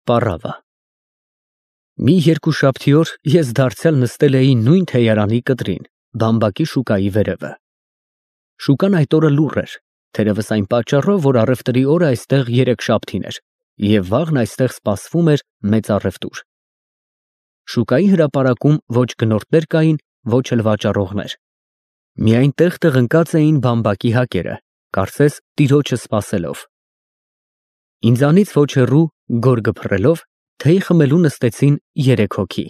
Պառավը։ Մի երկուշաբթի օր ես դարձյալ նստել էի նույն թեյարանի կտրին, բամբակի շուկայի վերևը։ Շուկան այդ օրը լուռ էր, թերևս այն պատճառով, որ առևտրի օրը այստեղ երեքշաբթին էր, և վաղն այստեղ սպասվում էր մեծ առևտուր։ Շուկայի հրապարակում ոչ գնորդներ կային, ոչ էլ վաճառողներ։ Միայն տեղ-տեղ ընկած էին բամբակի հակերը, կարծես տիրոջը սպասելով։ Ինձանից ոչ հեռու, գորգը փռելով, թեյ խմելու նստեցին 3 հոգի։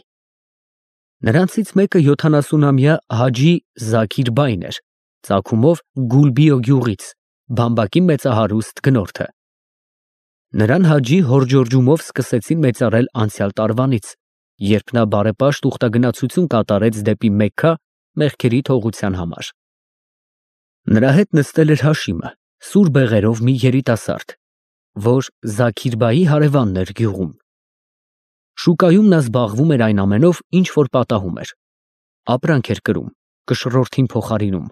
Նրանցից մեկը 70-ամյա Հաջի Զաքիր բայն էր, ծագումով Գուլբիո գյուղից, բամբակի մեծահարուստ գնորդը։ Նրան Հաջի հորջորջումով սկսեցին մեծարել անցյալ տարվանից, երբ նա բարեպաշտ ուխտագնացություն կատարեց դեպի Մեքքա մեղքերի թողության համար։ Նրա հետ նստել էր Հաշիմը, սուր բեղերով մի երիտասարդ, որ Զաքիր բայի հարևանն էր գյուղում։ Շուկայում նա զբաղվում էր այն ամենով, ինչ որ պատահում էր։ Ապրանք էր կրում, կշռորդին փոխարինում։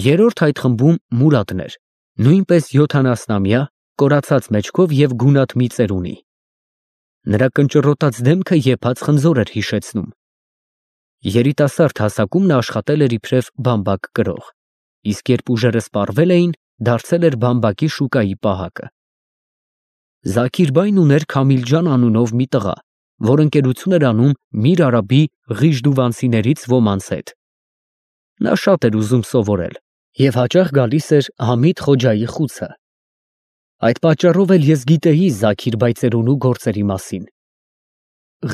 Երրորդ այդ խմբում Մուրադն էր, նույնպես 70-ամյա, կորացած մեջքով և գունատ մի ծերունի։ Նրա կնճռոտած դեմքը եփած խնձոր էր հիշեցնում։ Երիտասարդ հասակում նա աշխատել էր իբրև բամբակ կրող, իսկ երբ ուժերը սպառվել էին, դարձել էր բամբակի շուկայի պահակը։ Զաքիր բայն ուներ Քամիլջան անունով մի տղա, որ ընկերություն էր անում Միր Արաբի Ղիժդուվանցիներից ոմանց հետ։ Նա շատ էր ուզում սովորել և հաճախ գալիս էր Համիդ Խոջայի խուցը։ Այդ պատճառով էլ ես գիտեի Զաքիր բայ ծերունու գործերի մասին։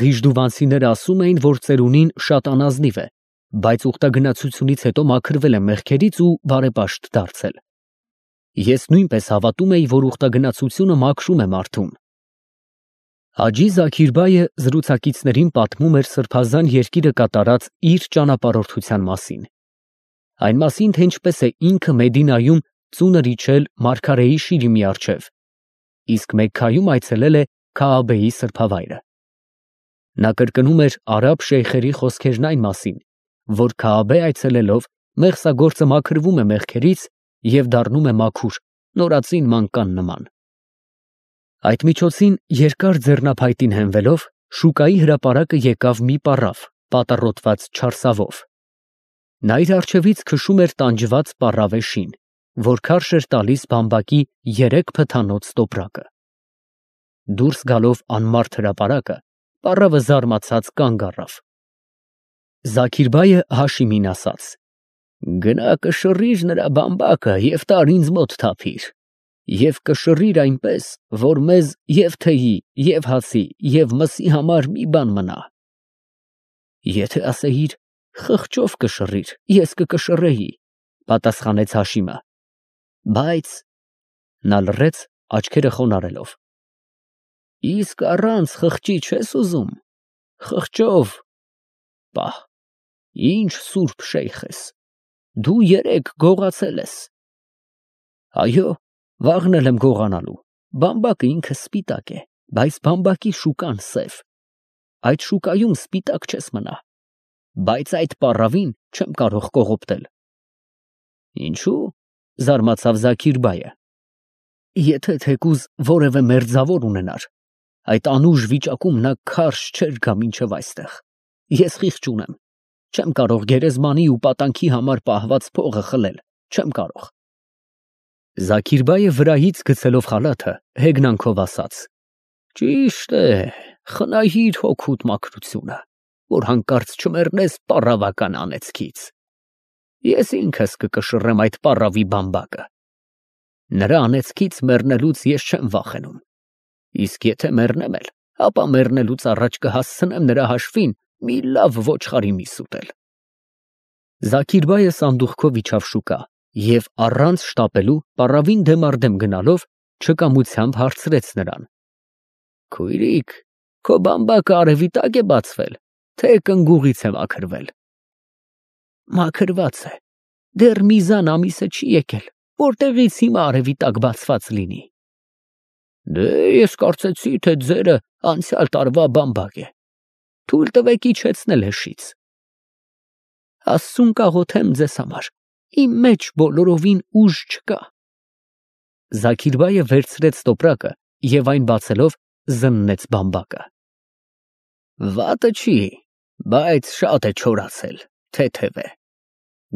Ղիժդուվանցիները ասում էին, որ ծերունին շատ անազնիվ է, բայց ուխտագնացությունից հետո մաքրվել է մեղքերից ու բարեպաշտ դարձել։ Ես նույնպես հավատում էի, որ ուխտագնացությունը մաքրում է մարդուն։ Հաջի Զաքիր բայը զրուցակիցներին պատմում էր սրբազան երկիրը կատարած իր ճանապարհորդության մասին։ Այն մասին, թե ինչպես է ինքը Մեդինայում ծունր իջել Մարգարեի շիրիմի առջև, իսկ Մեքքայում այցելել է Քաաբեի սրբավայրը։ Նա կրկնում էր արաբ շեյխերի խոսքերն այն մասին, որ Քաաբե այցելելով մեղսագործը մաքրվում է մեղքերից և դառնում է մաքուր, նորածին մանկան նման։ Այդ միջոցին երկար ձեռնափայտին հենվելով, շուկայի հրապարակը եկավ մի պառավ, պատառոտված չարսավով։ Նա իր առջևից քշում էր տանջված պառավե շին, որ քարշ էր տալիս բամբակի 3 փթանոց տոպրակը։ Դուրս գալով անմարդ հրապարակը, պառավը զարմացած կանգ առավ։ Զաքիր բայը Հաշիմին ասաց. «Գնա կշռիր նրա բամբակը և տար ինձ մոտ թափիր, և կշռիր այնպես, որ մեզ և թեյի, և հացի, և մսի համար մի բան մնա»։ Եթե ասեիր խղճով կշռիր, ես կկշռեի, պատասխանեց Հաշիմը, բայց… Նա լռեց, աչքերը խոնարհելով։ Իսկ առանց խղճի չես ուզում, խղճով… Պահ, ինչ սուրբ շեյխ ես, դու երեկ գողացել ես։ Այո, վաղն էլ եմ գողանալու, բամբակը ինքը սպիտակ է, բայց բամբակի շուկան սև, այդ շուկայում սպիտակ չես մնա, բայց այդ պառավին չեմ կարող կողոպտել։ Ինչու՞, զարմացավ Զաքիր բայը։ Եթե թեկուզ որևէ մերձավոր ունենար, այդ անուշ վիճակում նա քարշ չէր գա մինչև այստեղ։ Ես խիղճ ունեմ, չեմ կարող գերեզմանի ու պատանքի համար պահված փողը խլել, չեմ կարող։ Զաքիր բայը վրայից գցելով խալաթը, հեգնանքով ասաց. Ճիշտ է, խնայիր հոգուդ մաքրությունը, որ հանկարծ չմեռնես պառավական անեծքից։ Ես ինքս կկշռեմ այդ պառավի բամբակը։ Նրա անեծքից մեռնելուց ես չեմ վախենում։ Իսկ եթե մեռնեմ էլ, ապա մեռնելուց առաջ կհասցնեմ նրա հաշվին մի լավ ոչխարի միս ուտել։ Զաքիր բայը սանդուղքով իջավ շուկա և առանց շտապելու պառավին դեմ առ դեմ գնալով չկամությամբ հարցրեց նրան. Քույրիկ, քո բամբակը արևի տակ է բացվել, թե կնգուղից է մաքրվել։ Մաքրված է, դեռ միզան ամիսը չի եկել, որտեղից հիմա արևի տակ բացված լինի։ Դե ես կարծեցի, թե ձերը անցյալ տարվա բամբակ է, թույլ տվեք իջեցնել հշից։ Աստծուն կաղոթեմ ձեզ համար, իմ մեջ բոլորովին ուժ չկա։ Զաքիր բայը վերցրեց տոպրակը և այն բացելով զննեց բամբակը։ Վատը չի, բայց շատ է չորացել, թեթև է։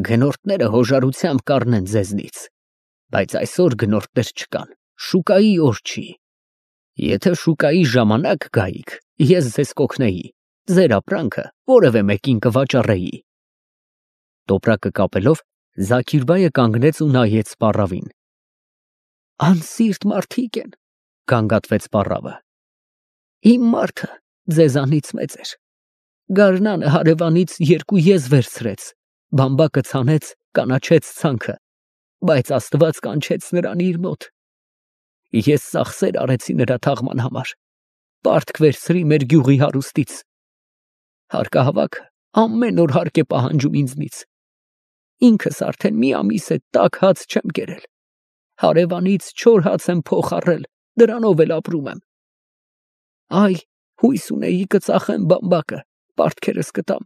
Գնորդները հոժարությամբ կառնեն ձեզնից, բայց այսօր գնորդներ չկան, շուկայի օր չի։ Եթե շուկայի ժամանակ գայիք, ես ձեզ կօգնեի, ձեր ապրանքը որևէ մեկին կվաճառեի։ Տոպրակը կապելով, Զաքիրբայը կանգնեց ու նայեց պառավին։ Անսիրտ մարդիկ են, գանգատվեց պառավը։ Իմ մարդը ձեզանից մեծ էր։ Գարնանը հարևանից 2 եզ վերցրեց, բամբակը ցանեց, կանաչեց ցանքը, բայց Աստված կանչեց նրան իր մոտ։ Ես ծախսեր արեցի նրա թաղման համար, պարտք վերցրի մեր գյուղի հարուստից։ Հարկահավաքը ամեն օր հարկ է պահանջում ինձնից։ Ինքս արդեն մի ամիս է տաք հաց չեմ կերել։ Հարևանից 4 հաց եմ փոխ առել, դրանով էլ ապրում եմ։ Այ, հույս ունեի կծախեմ բամբակը, պարտքերս կտամ,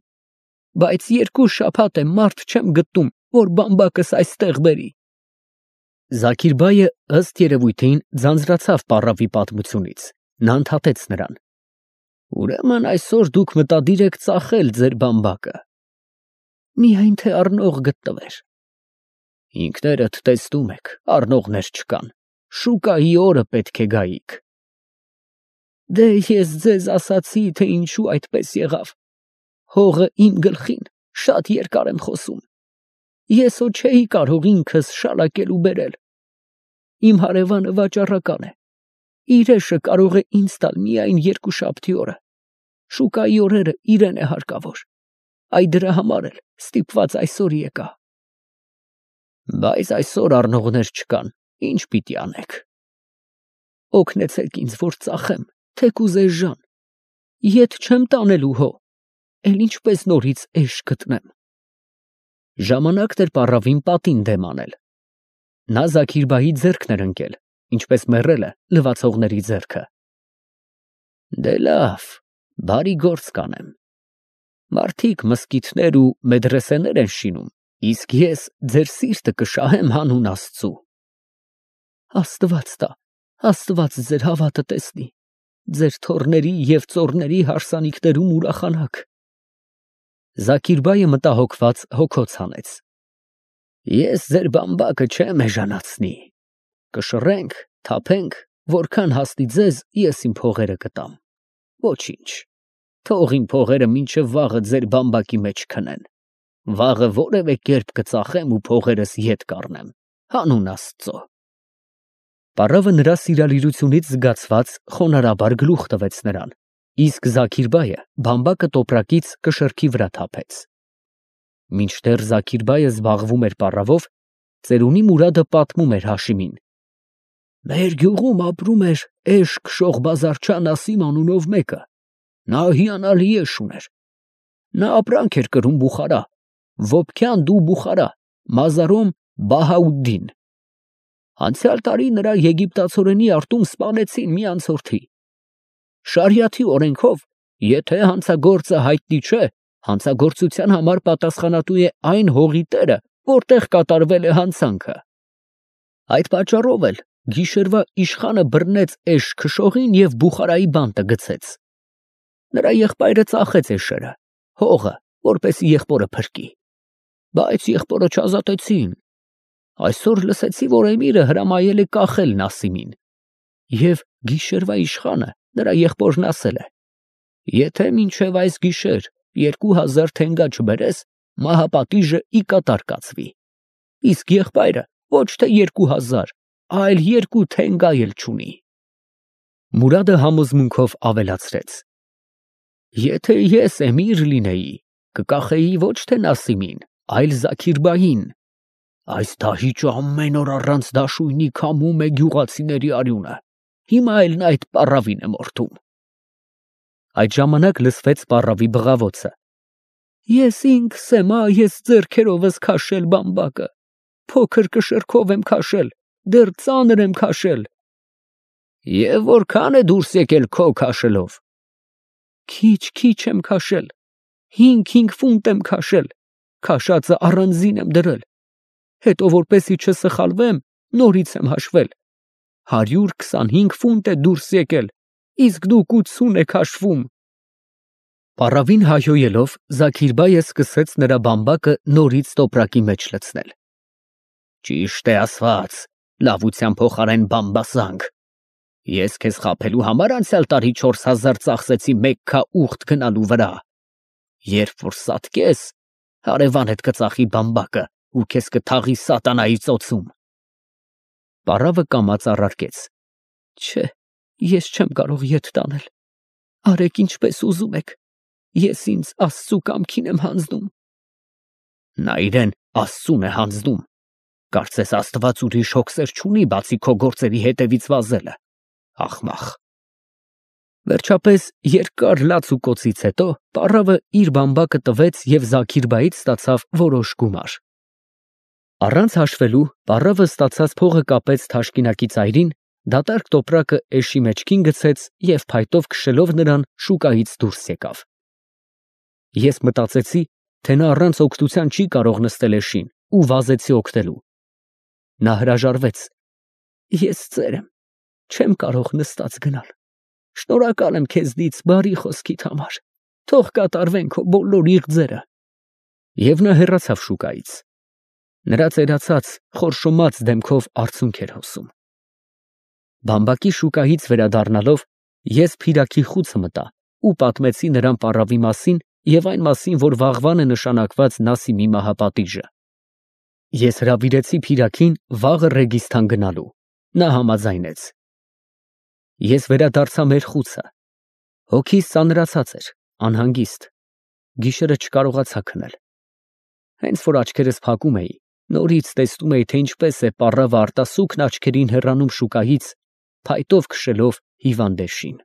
բայց 2 շաբաթ է մարդ չեմ գտնում, որ բամբակս այստեղ բերի։ Զաքիրբայը ըստ երևույթին ձանձրացավ պառավի պատմությունից, նա ընդհատեց նրան։ Ուրեմն այսօր դուք մտադիր եք ծախել ձեր բամբակը։ Միայն թե առնող գտնվեր։ Ինքներդ տեսնում եք, առնողներ չկան, շուկայի օրը պետք է գայիք։ Դե ես ձեզ ասացի, թե ինչու այդպես եղավ։ Հողը իմ գլխին, շատ երկար եմ խոսում։ Ես հո չէի կարող ինքս շալակել ու բերել։ Իմ հարևանը վաճառական է։ Իրեշը կարող է ինձ տալ միայն 2 շաբթի օրը։ Շուկայի օրերը իրեն է հարկավոր։ Այ դրա համար էլ ստիպված այսօր եկա։ Բայց այսօր առնողներ չկան, ինչ պիտի անեք։ Օգնեցեք ինձ, որ ծախեմ, թեկուզ էժան։ Ետ չեմ տանելու հո, էլ ինչպես նորից էշ գտնեմ։ Ժամանակն էր պառավին պատին դեմ անել։ Նա Զաքիրբայի ձեռքն էր ընկել, ինչպես մեռելը լվացողների ձեռքը։ Դե լավ, բարի գործ կանեմ։ Մարդիկ մզկիթներ ու մեդրեսեներ են շինում, իսկ ես ձեր սիրտը կշահեմ հանուն Աստծու։ Աստված տա, Աստված ձեր հավատը տեսնի, ձեր թոռների և ծոռների հարսանիքներում ուրախանաք։ Զաքիրբայը մտահոգված հոգոց հանեց։ Ես ձեր բամբակը չեմ էժանացնի։ Կշռենք, թափենք, որքան հասնի ձեզ, ես իմ փողերը կտամ։ Ոչինչ, թող իմ փողերը մինչև վաղը ձեր բամբակի մեջ քնեն։ Վաղը որևէ կերպ կծախեմ ու փողերս ետ կառնեմ, հանուն Աստծո։ Պառավը նրա սիրալիրությունից զգացված խոնարհաբար գլուխ տվեց նրան, իսկ Զաքիրբայը բամբակը տոպրակից կշռքի վրա թափեց։ Մինչդեռ Զաքիրբայը զբաղվում էր պառավով, ծերունի Մուրադը պատմում էր Հաշիմին։ Մեր գյուղում ապրում էր Էշ քշող Բազարչան Ասիմ անունով մեկը, նա հիանալի էշ ուներ։ Նա ապրանք էր կրում Բուխարա, Վոբքյան դու Բուխարա, Մազարոմ Բահաուդդին։ Անցյալ տարի նրա եգիպտացորենի արտում սպանեցին մի անցորդի։ Շարիաթի օրենքով, եթե հանցագործը հայտնի չէ, հանցագործության համար պատասխանատու է այն հողի տերը, որտեղ կատարվել է հանցանքը։ Այդ պատճառով էլ գիշերվա իշխանը բռնեց Էշ քշողին և Բուխարայի բանտը գցեց։ Նրա եղբայրը ծախեց էշերը, հողը, որպեսզի եղբորը փրկի։ Բայց եղբորը չազատեցին։ Այսօր լսեցի, որ էմիրը հրամայել է կախել Նասիմին։ Եվ գիշերվա իշխանը նրա եղբորն ասել է. եթե մինչև այս գիշեր 2000 թենգա չբերես, մահապատիժը ի կատար կացվի։ Իսկ եղբայրը ոչ թե 2000, այլ 2 թենգա էլ չունի։ Մուրադը համոզմունքով ավելացրեց. Եթե ես էմիր լինեի, կկախեի ոչ թե Նասիմին, այլ Զաքիրբային։ Այս դահիճը ամեն օր առանց դաշույնի քամում է գյուղացիների արյունը։ Հիմա էլ նա այդ պառավին է մորթում։ Այդ ժամանակ լսվեց պառավի բղավոցը։ Ես ինքս եմ, ես ձեռքերովս քաշել բամբակը, փոքր կշռքով եմ քաշել, դեռ ծանր եմ քաշել։ Եվ որքան է դուրս եկել քո քաշելով։ Քիչ եմ քաշել, 5 ֆունտ եմ քաշել, քաշածը առանձին եմ դրել։ Հետո որպեսի չսխալվեմ, նորից եմ հաշվել, 125 ֆունտ է դուրս եկել, իսկ դուք 80 եք հաշվում։ Պառավին հայհոյելով Զաքիրբայը սկսեց նրա բամբակը նորից տոպրակի մեջ լցնել։ Ճիշտ է ասված, լավության փոխարեն բամբասանք։ Ես քեզ խաբելու համար անցյալ տարի 4000 ծախսեցի Մեքքա ուխտ գնալու վրա։ Երբ որ սատկես, հարևանդ կծախի բամբակը ու քեզ կթաղի սատանայի ծոցում։ Պառավը կամաց առարկեց. Չէ, ես չեմ կարող ետ տանել։ Արեք ինչպես ուզում եք։ Ես ինձ Աստծու կամքին եմ հանձնում։ Նա իրեն Աստծուն է հանձնում։ Կարծես Աստված ուրիշ հոգսեր չունի, բացի քո գործերի հետևից վազելը։ Ախմախ։ Վերջապես երկար լաց ու կոցից հետո պառավը իր բամբակը տվեց և Զաքիրբայից ստացավ որոշ գումար։ Առանց հաշվելու պառավը ստացած փողը կապեց թաշկինակի ծայրին, դատարկ տոպրակը էշի մեջքին գցեց և փայտով քշելով նրան շուկայից դուրս եկավ։ Ես մտածեցի, թե նա առանց օգնության չի կարող նստել էշին ու վազեցի օգնելու։ Նա հրաժարվեց։ Ես ծեր եմ, չեմ կարող նստած գնալ։ Շնորհակալ եմ քեզնից բարի խոսքիդ համար։ Թող կատարվեն քո բոլոր իղձերը։ Եվ նա հեռացավ շուկայից։ Նրա ծերացած, խորշոմած դեմքով արցունք էր հոսում։ Բամբակի շուկայից վերադառնալով ես Փիրակի խուցը մտա ու պատմեցի նրան պառավի մասին և այն մասին, որ վաղվան է նշանակված Նասիմի մահապատիժը։ Ես հրավիրեցի Փիրակին վաղը Ռեգիստան գնալու։ Նա համաձայնեց։ Ես վերադարձա մեր խուցը։ Հոգիս ծանրացած էր, անհանգիստ։ Գիշերը չկարողացա քնել։ Հենց որ աչքերս փակում էի, նորից տեսնում էի, թե ինչպես է պառավը արտասուքն աչքերին հեռանում շուկայից, փայտով քշելով հիվանդեշին։